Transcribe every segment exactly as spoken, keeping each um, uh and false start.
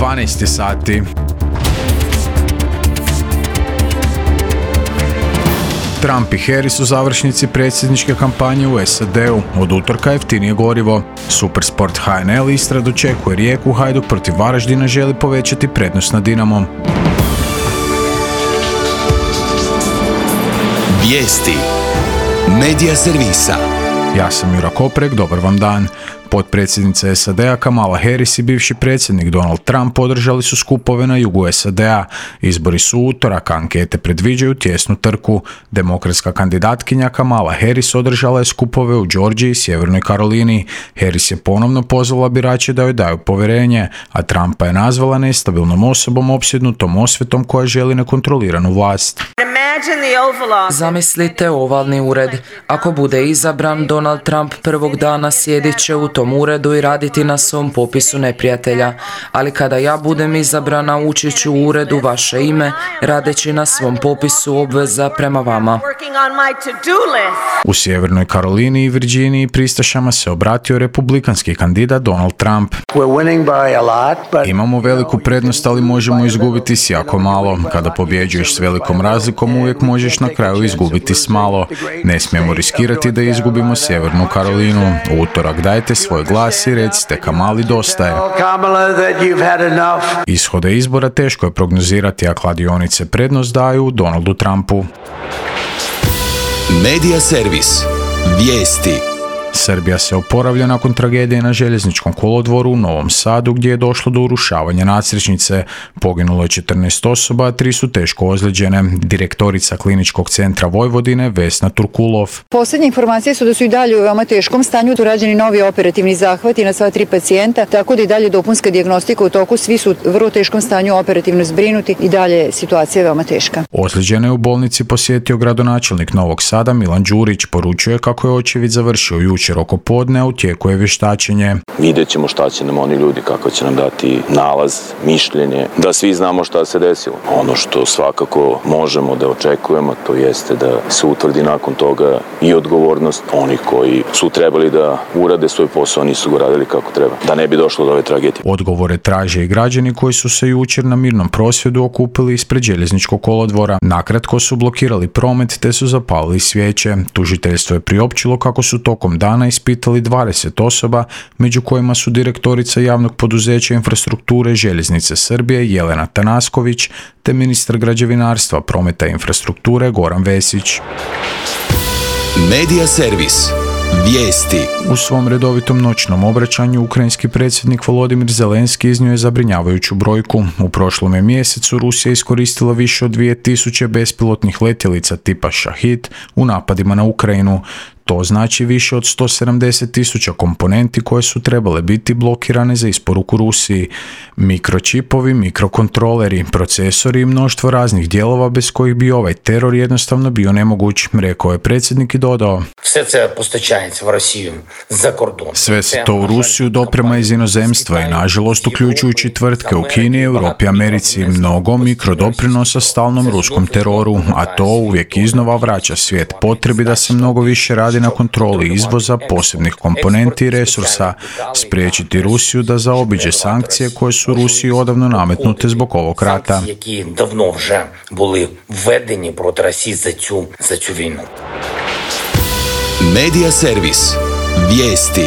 dvanaest sati. Trump i Harris u završnici predsjedničke kampanje u S A D-u. Od utorka jeftinije gorivo. Supersport H N L Istra dočekuje Rijeku, Hajduk protiv Varaždina želi povećati prednost nad Dinamom. Vijesti Medija servisa. Ja sam Jura Koprek, dobar vam dan. Potpredsjednica S A D-a Kamala Harris i bivši predsjednik Donald Trump održali su skupove na jugu S A D-a. Izbori su utorak, ankete predviđaju tjesnu trku. Demokratska kandidatkinja Kamala Harris održala je skupove u Georgiji i Sjevernoj Karolini. Harris je ponovno pozvala birače da joj daju povjerenje, a Trumpa je nazvala nestabilnom osobom opsjednutom osvetom koja želi nekontroliranu vlast. Zamislite ovalni ured. Ako bude izabran, Donald Trump prvog dana sjedit će u tom uredu i raditi na svom popisu neprijatelja. Ali kada ja budem izabrana, ući ću u uredu vaše ime, radeći na svom popisu obveza prema vama. U Sjevernoj Karolini i Virginiji pristašama se obratio republikanski kandidat Donald Trump. Imamo veliku prednost, ali možemo izgubiti s jako malo. Kada pobjeđuješ s velikom razlikom, uvijek možeš na kraju izgubiti s malo. Ne smijemo riskirati da izgubimo Sjevernu Karolinu. U utorak dajte svoj glas i recite Kamali dosta je. Ishode izbora teško je prognozirati, a kladionice prednost daju Donaldu Trumpu. Medija servis. Vijesti. Srbija se oporavlja nakon tragedije na željezničkom kolodvoru u Novom Sadu gdje je došlo do urušavanja nadstrešnice. Poginulo je četrnaest osoba, a tri su teško ozlijeđene. Direktorica Kliničkog centra Vojvodine Vesna Turkulov. Posljednje informacije su da su i dalje u veoma teškom stanju. Tu rađeni novi operativni zahvati na sva tri pacijenta, tako da i dalje dopunska dijagnostika u toku. Svi su u vrlo teškom stanju operativno zbrinuti i dalje je situacija veoma teška. Ozlijeđene je u bolnici posjetio gradonačelnik Novog Sada Milan Đurić. Poručuje kako je očevid završio jučer oko podne, a u tijeku je vještačenje. Vidjet ćemo šta će nam oni ljudi, kako će nam dati nalaz, mišljenje, da svi znamo šta se desilo. Ono što svakako možemo da očekujemo, to jeste da se utvrdi nakon toga i odgovornost onih koji su trebali da urade svoj posao, nisu go radili kako treba, da ne bi došlo do ove tragedije. Odgovore traže i građani koji su se jučer na mirnom prosvjedu okupili ispred željezničkog kolodvora. Nakratko su blokirali promet te su zapalili svijeće. Tužiteljstvo je priopćilo kako su tokom dana ispitali dvadeset osoba, među kojima su direktorica javnog poduzeća infrastrukture Željeznice Srbije Jelena Tanasković te ministar građevinarstva, prometa i infrastrukture Goran Vesić. Medija servis. Vijesti. U svom redovitom noćnom obraćanju ukrajinski predsjednik Volodimir Zelenski iznio je zabrinjavajuću brojku. U prošlom je mjesecu Rusija iskoristila više od dvije tisuće bespilotnih letjelica tipa Šahid u napadima na Ukrajinu. To znači više od sto sedamdeset tisuća komponenti koje su trebale biti blokirane za isporuku Rusiji. Mikročipovi, mikrokontroleri, procesori i mnoštvo raznih dijelova bez kojih bi ovaj teror jednostavno bio nemoguć, rekao je predsjednik i dodao. Sve se to u Rusiju doprema iz inozemstva i nažalost uključujući tvrtke u Kini, Europi i Americi, mnogo mikrodoprinosa stalnom ruskom teroru, a to uvijek iznova vraća svijet potrebi da se mnogo više radi na kontroli izvoza posebnih komponenti i resursa, spriječiti Rusiju da zaobiđe sankcije koje su Rusiji odavno nametnute zbog ovog rata. Medija servis. Vijesti.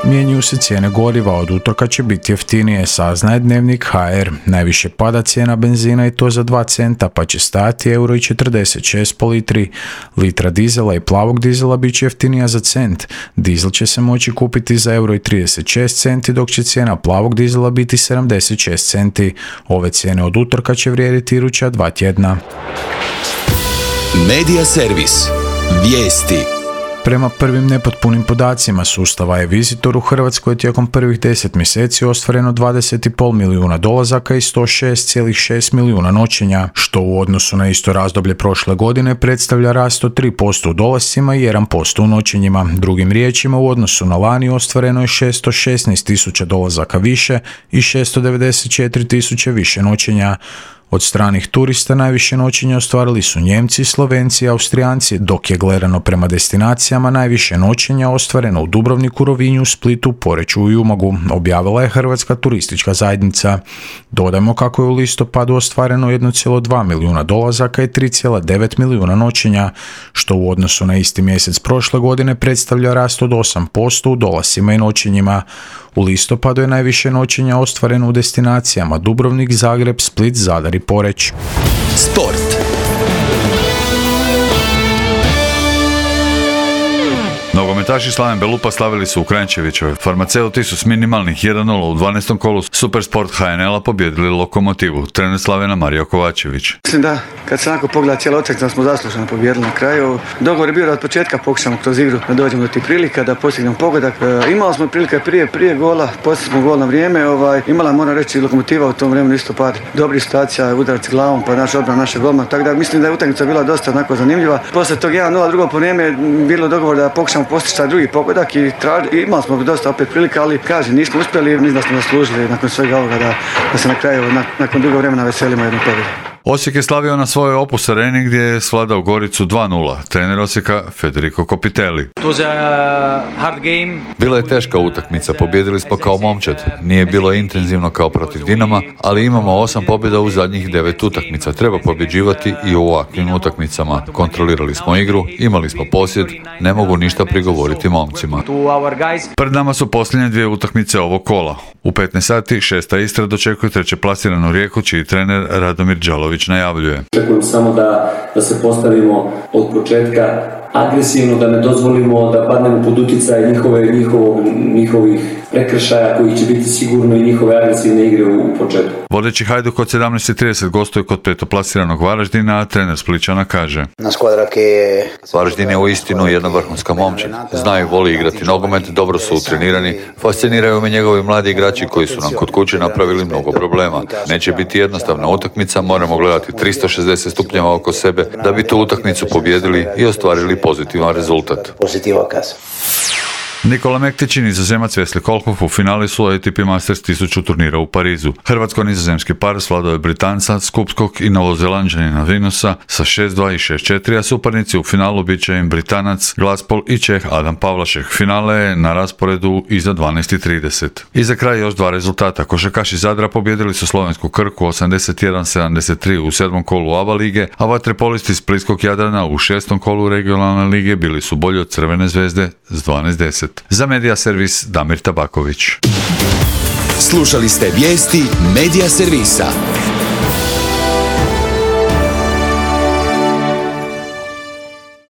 Mijenjaju se cijene goriva, od utorka će biti jeftinije, saznaje Dnevnik H R. Najviše pada cijena benzina i to za dva centa, pa će stajati euro i četrdeset šest po litri. Litra dizela i plavog dizela bit će jeftinija za cent. Dizel će se moći kupiti za euro i trideset šest centi, dok će cijena plavog dizela biti sedamdeset šest centi. Ove cijene od utorka će vrijediti iduća dva tjedna. Medija servis. Vijesti. Prema prvim nepotpunim podacima sustava e-Visitor u Hrvatskoj je tijekom prvih deset mjeseci ostvareno dvadeset zarez pet milijuna dolazaka i sto šest zarez šest milijuna noćenja, što u odnosu na isto razdoblje prošle godine predstavlja rast od tri posto u dolascima i jedan posto u noćenjima. Drugim riječima, u odnosu na lani ostvareno je šesto šesnaest tisuća dolazaka više i šesto devedeset četiri tisuće više noćenja. Od stranih turista najviše noćenja ostvarili su Njemci, Slovenci i Austrijanci, dok je gledano prema destinacijama najviše noćenja ostvareno u Dubrovniku, Rovinju, Splitu, Poreču i Umagu, objavila je Hrvatska turistička zajednica. Dodajmo kako je u listopadu ostvareno jedan zarez dva milijuna dolazaka i tri zarez devet milijuna noćenja, što u odnosu na isti mjesec prošle godine predstavlja rast od osam posto u dolascima i noćenjima. U listopadu je najviše noćenja ostvareno u destinacijama Dubrovnik, Zagreb, Split, Zadar i Poreč. Sport. Nogometaši Slaven Belupa slavili su u Kranjčevićevoj. Farmaceuti su s minimalnih jedan nula u dvanaestom kolu Supersport H N L-a pobjedili Lokomotivu. Trener Slavena Mario Kovačević. Mislim da kad se onako pogleda cijela utakmica smo zasluženo pobijedili na kraju. Dogovor je bio da od početka pokušamo kroz igru da dođemo do tih prilika, da postignemo pogodak. E, imali smo prilike prije prije gola, poslije smo gol na vrijeme. Ovaj, imala, moram reći, Lokomotiva u tom vremenu isto par dobrih situacija, udarac glavom, pa naš odbrana naše golma. Tako da mislim da je utakmica bila dosta onako zanimljiva. Poslije tog jedan nula drugo po vrijeme bilo dogovor da pokušamo postići taj drugi pogodak i traži, imali smo dosta opet prilika, ali kažem, nismo uspjeli, mislim da smo zaslužili nakon svega ovoga da, da se na kraju, nakon dugo vremena veselimo jednu pobjedu. Osijek je slavio na svojoj Opus Areni gdje je svladao Goricu dva nula. Trener Osijeka Federico Copitelli. Bila je teška utakmica, pobijedili smo kao momčad. Nije bilo intenzivno kao protiv Dinama, ali imamo osam pobjeda u zadnjih devet utakmica. Treba pobjeđivati i u ovakvim utakmicama. Kontrolirali smo igru, imali smo posjed, ne mogu ništa prigovoriti momcima. Pred nama su posljednje dvije utakmice ovog kola. U petnaest sati šesta Istra dočekuje treće plasiranu Rijeku, čiji trener Radomir Đalović najavljuje. Očekujem samo da, da se postavimo od početka agresivno, da ne dozvolimo da padnemo pod utjecaj njihove, njihovog, njihovih prekršaja koji će biti sigurno i njihove agresivne igre u početku. Vodeći Hajduk od sedamnaest i trideset gostuje kod petoplasiranog Varaždina, a trener Splićana kaže: Varaždin je uistinu jedna vrhunska momčad. Znaju, voli igrati nogomet, dobro su utrenirani, fasciniraju me njegovi mladi igrači koji su nam kod kuće napravili mnogo problema. Neće biti jednostavna utakmica, moramo gledati tristo šezdeset stupnjeva oko sebe da bi tu utakmicu pobjedili i ostvarili pozitivan rezultat. Nikola Mektić i Nizozemac Wesley Kohlhoff u finali su A T P Masters tisuću turnira u Parizu. Hrvatsko-nizozemski par svladao je Britanca, Skupskog i Novozelanđanina Vinusa sa šest dva i šest četiri, a suparnici u finalu bit će im Britanac Glaspol i Čeh Adam Pavlašek. Finale je na rasporedu iza dvanaest i trideset. I za kraj još dva rezultata. Košarkaši Zadra pobjedili su slovensku Krku osamdeset jedan sedamdeset tri u sedmom kolu A B A lige, a vatrepolisti Splitskog Jadrana u šestom kolu regionalne lige bili su bolji od Crvene zvezde s dvanaest deset. Za Medija Servis Damir Tabaković. Slušali ste vijesti Medija Servisa.